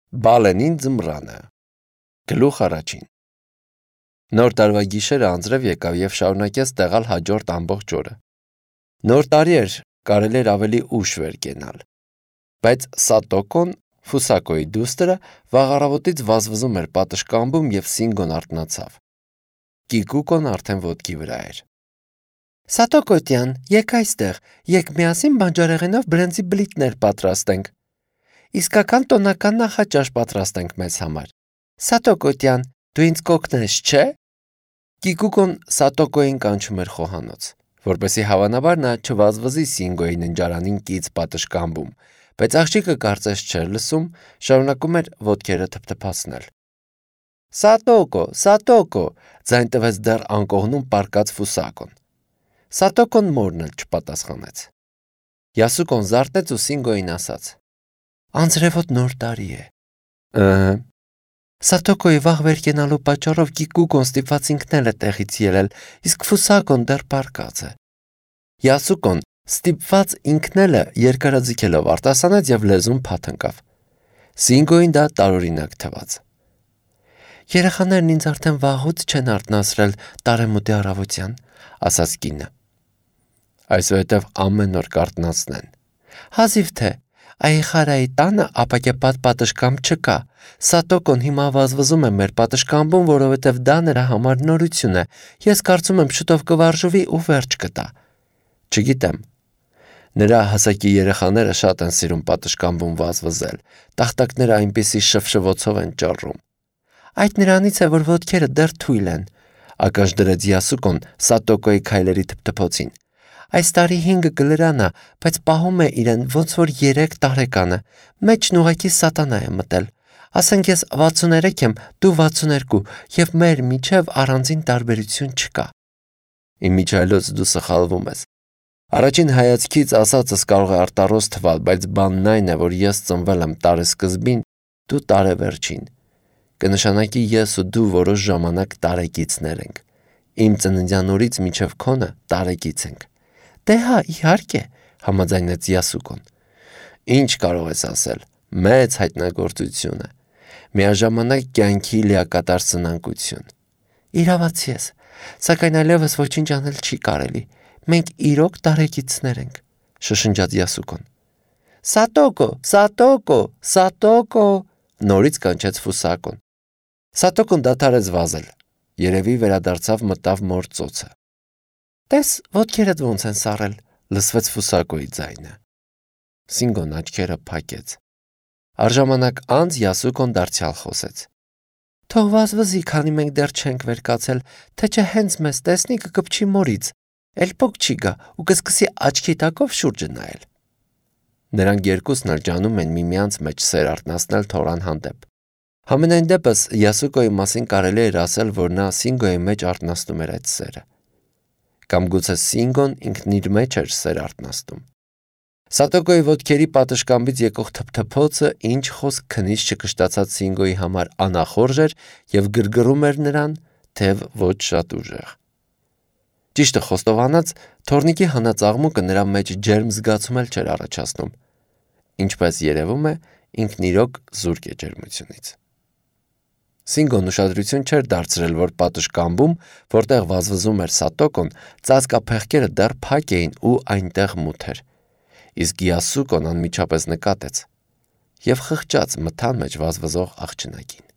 Բալենին ձմռանը Գլուխ առաջին Նոր տարվա գիշերը անձրև եկավ և շարունակեց տեղալ հաջորդ ամբողջ օրը։ Նոր տարի էր, կարելի էր ավելի ուշ վեր կենալ, բայց Սատոկոն, Ֆուսակոյի դուստրը, վաղ առավոտից վազվզում էր պատշգամբում և Սինգոն արթնացավ։ Կիկուկոն արդեն ոտքի վրա էր։ Սատոկո տյան, եկ այստեղ, եկ միասին բանջարեղենով բրենձի բլիթներ պատրաստենք։ Իսկական տոնական նախաճաշ պատրաստենք մեզ համար։ Սատոկո տյան, դու ինձ կօգնես, չէ՞։ Կիկուկոն Սատոկոյին կանչում էր խոհանոց, որպեսզի հավանաբար նա չվազվզի Սինգոյի ննջարանին կից պատշգամբում, բայց աղջիկը կարծես չէր լսում, շարունակում էր ոտքերը թփթփացնել։ Սատոկո, ձայն տվեց դեռ անկողնում պառկած Ֆուսակոն։ Սատոկոն մորն էլ չպատասխանեց։ Յասուկոն զարթնեց ու Սինգոյին ասաց. Անձրևոտ նոր տարի է։ Սատոկոյի վաղ վեր կենալու պատճառով Կիկուկոն ստիպված ինքն է տեղից ելել, իսկ Ֆուսակոն դեռ պառկած է։ Յասուկոն ստիպված ինքն էլ երկարաձգելով արտասանեց և լեզուն փաթ ընկավ։ Սինգոյին դա տարօրինակ թվաց։ Երեխաներն ինձ արդեն վաղուց չեն արթնացրել տարեմուտի առավոտյան, ասաց կինը։ Այսուհետև ամեն օր կարթնացնեն։ Հազիվ թե, Այխարայի տանը ապակեպատ պատշգամբ չկա։ Սատոկոն հիմա վազվզում է մեր պատշգամբում, որովհետև դա նրա համար նորություն է։ Ես կարծում եմ շուտով կվարժվի ու վերջ կտա։ Չգիտեմ։ Նրա հասակի երեխաները շատ են սիրում պատշգամբում վազվզել։ Տախտակները այնպիսի շվշվոցով են ճառում։ Այդ նրանից է, որ ոտքերը դեռ թույլ են, ակաշ դրեց Յասուկոն Սատոկոյի քայլերի թփթփոցին։ Այս տարի 5 գլրան է, բայց պահում է իրեն ոնց որ 3 տարեկանը։ Մեջն ուղղակի սատանա է մտել։ Ասենք ես 63 եմ, դու 62, և մեր միջև առանձին տարբերություն չկա։ Իմիջիայլոց դու սխալվում ես։ Առաջին հայացքից ասածս կարող է արտառոս թվալ, բայց բանն այն է, որ ես ծնվել եմ տարեսկզբին, դու տարեվերջին։ Կնշանակի ես ու դու որոշ ժամանակ տարեկիցներ ենք։ Իմ ծննդյան օրից մինչև քոնը տարեկից ենք։ Դե հա, իհարկե, համաձայնեց Յասուկոն։ Ինչ կարող ես ասել, մեծ հայտնագործություն է։ Միաժամանակ կյանքի լիակատար սնանկություն։ Իրավացի ես, սակայն այլևս ոչինչ անել չի կարելի։ Մենք իրոք տարեկիցներ ենք, շշնջաց Յասուկոն։ Սատոկո, նորից կանչեց Ֆուսակոն։ Սատոկոն դադարեց վազել։ Երևի վերադարձավ մտավ մոր ծոցը։ Տես, ոտքերդ ոնց են սառել, լսվեց Ֆուսակոյի ձայնը։ Սինգոն աչքերը փակեց։ Առժամանակ անց Յասուկոն դարձյալ խոսեց։ Թող վազվզի, քանի մենք դեռ չենք վեր կացել, թե չէ հենց մեզ տեսնի կկպչի մորից, էլ փոք չի գա ու կսկսի աչքի տակով շուրջը նայել։ Նրանք երկուսն էլ ջանում են միմյանց մեջ սեր արթնացնել թորան հանդեպ։ Համենայն դեպս Յասուկոյի մասին կարելի էր ասել, որ նա Սինգոյի մեջ արթնացնում էր այդ սերը։ Կամ գուցե Սինգոն ինքն իր մեջ էր սեր արթնացնում։ Սատոկոյի ոտքերի պատշգամբից եկող թփթփոցը ինչ խոսք քնից չկշտացած Սինգոյի համար անախորժ էր և գրգռում էր նրան, թեև ոչ շատ ուժեղ։ Ճիշտը խոստովանած, թոռնիկի հանած աղմուկը նրա մեջ ջերմ զգացում էլ չէր առաջացնում։ Ինչպես երևում է, ինքն իրոք զուրկ է ջերմությունից։ Սինգոն ուշադրություն չէր դարձրել, որ պատշգամբում, որտեղ վազվզում էր Սատոկոն, ծածկափեղկերը դեռ փակ էին ու այնտեղ մութ էր։ Իսկ Յասուկոն անմիջապես նկատեց և խղճաց մթան մեջ վազվզող աղջնակին։